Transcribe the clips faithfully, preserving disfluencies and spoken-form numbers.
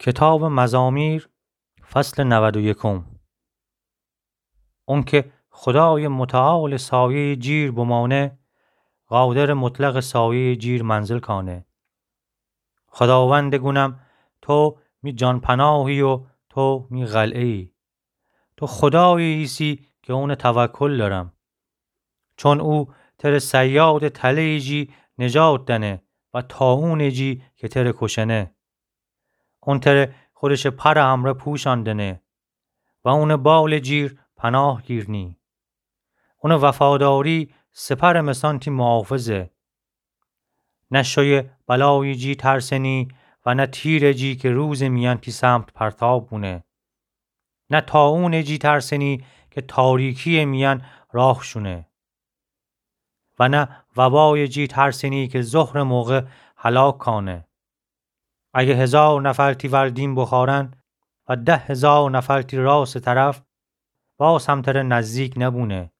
کتابٚ مزامیر، فصلٚ نود و یکم. اونکه خودایٚ متعالٚ سایه‌یٚ جیر بمانه، قادرٚ مطلقٚ سایه‌یٚ جیر منزل کانه. خوداوندٚ گونم، تو می جان‌پناهی و تو می قلعه‌یی. تو خودایی ایسی که اونٚ توکل دأرم. چون او تره صیادٚ تله‌یٚ جی نجات دأنه و طاعونٚ جی که تره کوشأنه. اون تره خودشٚ پرٚ امرأ پوشأن دأنه و اونٚ بالٚ جیر پناه گیرنی. اونٚ وفاداری سپرٚ مسان تی محافظه. نه شویٚ بلایٚ جی ترسنی و نه تیرٚ جی که روزٚ میأن تی سمت پرتاب بونه. نه طاعونٚ جی ترسنی که تاریکی‌یٚ میأن راه شونه و نه وبایٚ جی ترسنی که ظهرٚ موقع هلاک کانه. اگه هزار نفر تی ور دیم بخوأرن و ده هزار نفر تی راستٚ طرف، باز هم تره نزدیک نبونه.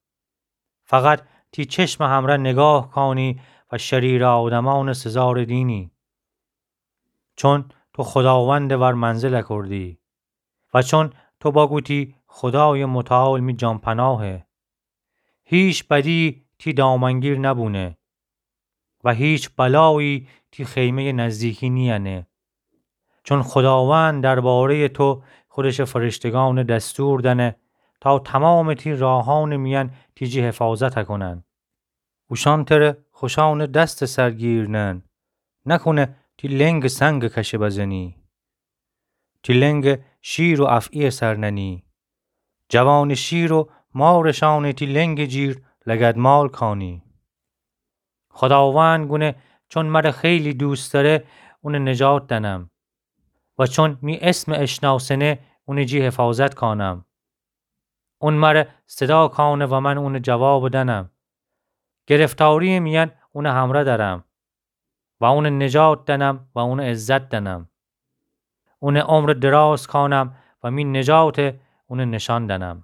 فقط تی چشمٚ همرأ نگاه کانی و شریرٚ آدمأنٚ سزارٚ دینی. چون تو خوداوندٚ ور منزل کوردی و چون تو بگوتی خودایٚ متعال می جان‌پناهه. هیچ بدی تی دامنگیر نبونه و هیچ بلایی تی خیمه‌یٚ نزدیکی نیأنه. چون خوداوند درباره‌یٚ تو خودشٚ فرشتگأن دستور دأنه تا تومامٚ تی راهأنٚ میأن تی جی حفاظت کونن. اوشأن تره خوشأنٚ دستٚ سر گیرنن، نکونه تی لنگٚ سنگٚ کشه بزنی. تی لنگٚ شیر و افعی‌یٚ سر ننی. جوانٚ شیر و مارٚ شأنٚ تی لنگٚ جیر لگدمال کانی. خوداوند گونه چون مره خیلی دوست دأره، اونٚ نجات دأنم و چون می اسمٚ اشناسنه، اونٚ جی حفاظت کانم. اون مره صدا کانه و من اونٚ جوابٚ دأنم. گرفتاری‌یٚ میأن اونٚ همرأ دأرم و اونٚ نجات دأنم و اونٚ عزت دأنم. اونٚ عمرٚ دراز کانم و می نجاتٚ اونٚ نشأن دأنم.